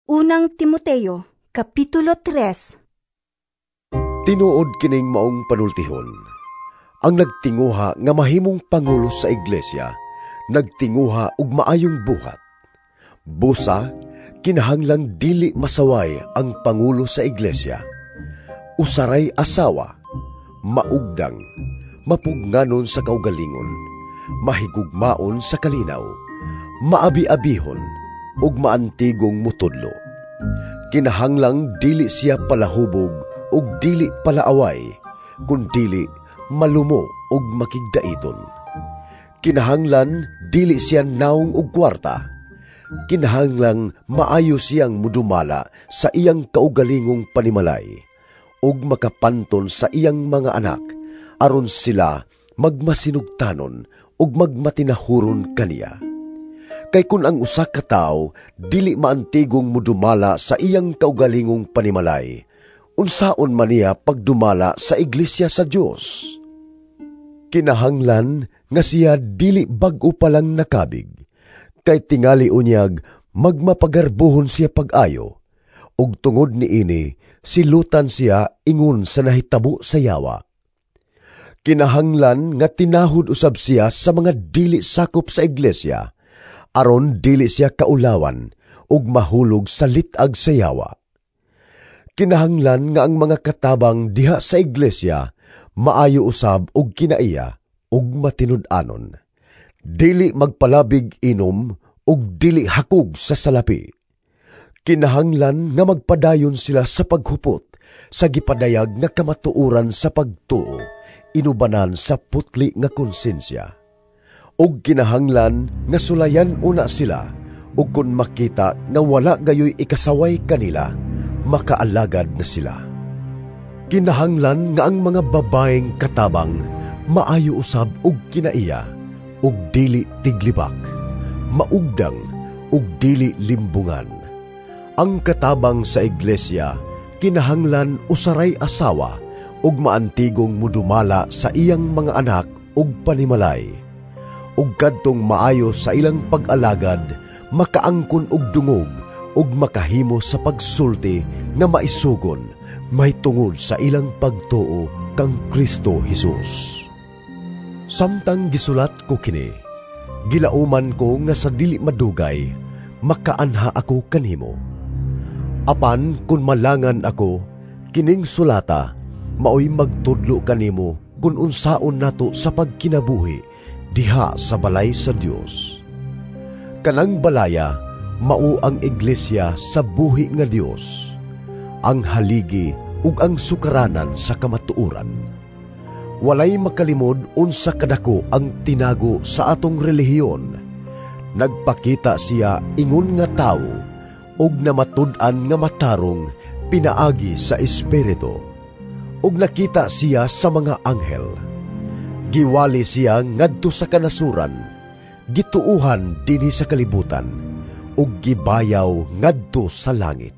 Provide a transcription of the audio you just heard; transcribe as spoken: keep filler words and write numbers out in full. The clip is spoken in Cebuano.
Unang Timoteo, Kapitulo tres. Tinuod kining maong panultihon. Ang nagtinguha nga mahimong pangulo sa iglesia, nagtinguha og maayong buhat. Busa, kinahanglang dili masaway ang pangulo sa iglesia. Usaray asawa, maugdang, mapugnganon sa kaugalingon, mahigugmaon sa kalinaw, maabi-abihon, ug maantigong mutudlo. Kinahanglang dili siya palahubog ug dili palaaway, kun dili malumo ug makigdaiton. Kinahanglan dili siya naong og kwarta. Kinahanglang maayo siyang mudumala sa iyang kaugalingong panimalay ug makapanton sa iyang mga anak aron sila magmasinugtanon ug magmatinahuron kaniya. Kay kun ang usa ka tawo dili maantigong mudumala sa iyang kaugalingong panimalay, unsaon man niya pagdumala sa iglesia sa Dios? Kinahanglan nga siya dili bag-o pa lang nakabig, kay tingali unyag magmapagarbuhon siya pag-ayo, ug tungod niini silutan siya ingon sa nahitabo sa yawa. Kinahanglan nga tinahod usab siya sa mga dili sakop sa iglesia, aron dili siya kaulawan ug mahulog sa lit-ag sa yawa. Kinahanglan nga ang mga katabang diha sa iglesia maayo usab og kinaiya ug matinud-anon. Dili magpalabig inom ug dili hakog sa salapi. Kinahanglan nga magpadayon sila sa paghupot sa gipadayag nga kamatuoran sa pagtuo, inubanan sa putli nga konsensya. Ug kinahanglan nga sulayan una sila, ug kun makita nga wala gayoy ikasaway kanila, makaalagad na sila. Kinahanglan nga ang mga babaeng katabang maayo usab og kinaiya, ug dili tiglibak, maugdang ug dili limbungan. Ang katabang sa iglesia kinahanglan usaray asawa ug maantigong mudumala sa iyang mga anak ug panimalay. Ug kadtong maayo sa ilang pag-alagad, makaangkon og dungog ug makahimo sa pagsulti nga maisugon mahitungod sa ilang pagtuo kang Kristo Hesus. Samtang gisulat ko kini, gilauman ko nga sa dili madugay makaanha ako kanimo. Apan kun malangan ako, kining sulata maoy magtudlo kanimo kun unsaon nato sa pagkinabuhi diha sa balay sa Dios. Kanang balaya mao ang iglesia sa buhi nga Dios, ang haligi ug ang sukaranan sa kamatuoran. Walay makalimod unsa kadako ang tinago sa atong relihiyon. Nagpakita siya ingon nga tawo ug namatud-an nga matarong pinaagi sa Espiritu, ug nakita siya sa mga anghel. Giwali siya ngadto sa kanasuran, gituohan dinhi sa kalibutan, ug gibayaw ngadto sa langit.